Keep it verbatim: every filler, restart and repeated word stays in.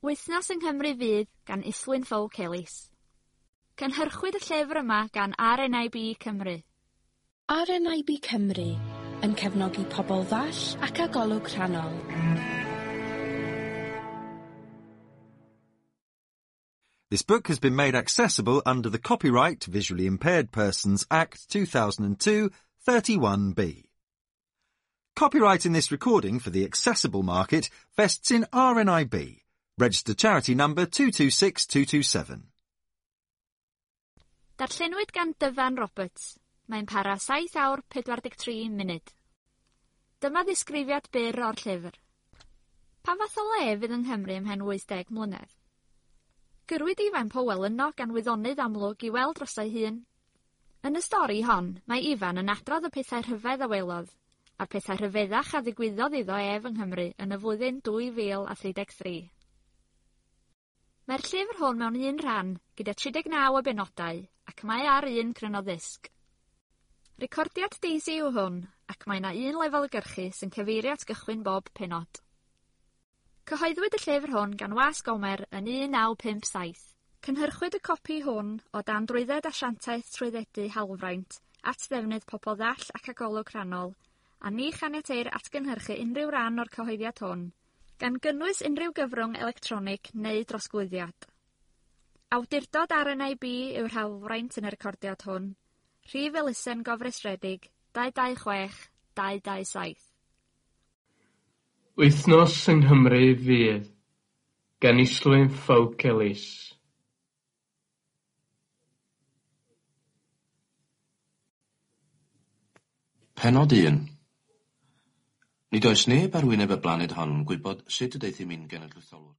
Wythnos yng Nghymru Fydd gan Islwyn Ffowc Elis. Cynhyrchwyd y llyfr yma gan R N I B Cymru. R N I B Cymru yn cefnogi pobl ddall ac â golwg rhannol. This book has been made accessible under the Copyright Visually Impaired Persons Act two thousand two, thirty-one B. Copyright in this recording for the accessible market vests in R N I B, registered charity number two two six two two seven. Darllenwyd gan Dyfan Roberts. Mae'n para saith awr pedwar deg tri munud. Dyma ddisgrifiad byr o'r llyfr. Pa fath o le fydd yng Nghymru ymhen wyth deg mlynedd? Gyrwyd Ifan Powell yno gan wyddonydd amlwg i weld droso'i hun. Yn y stori hon, mae Ifan yn adrodd y pethau rhyfedd a welodd, a'r pethau rhyfeddach a ddigwyddodd iddo ef yng Nghymru yn y flwyddyn dwy fil a thri deg tri. Mae'r llyfr hwn mewn un rhan, gyda tri deg naw o benodau, ac mae ar un cryno ddisg. Recordiad Daisy yw hwn, ac mae yna un lefel gyrchu sy'n cyfeirio at gychwyn bob pennod. Cyhoeddwyd y llyfr hwn gan Wasg Gomer yn un naw pump saith. Cynhyrchwyd y copi hwn o dan drwydded asiantaeth trwyddedu hawlfraint at ddefnydd pobl ddall ac â golwg rhannol, a ni chaniateir atgynhyrchu unrhyw ran o'r cyhoeddiad hwn, gan gynnwys unrhyw gyfrwng electronig neu drosglwyddiad. Awdurdod R N I B yw'r hawlfraint yn y recordiad hwn. Rhif elusen gofrestredig dau dau chwech dau dau saith. Wythnos yng Nghymru Fydd gan Islwyn Ffowc Elis. Pennod un. Nid oes neb ar wyneb y blaned hon yn gwybod sut y deuthum i'n genedlaetholwr.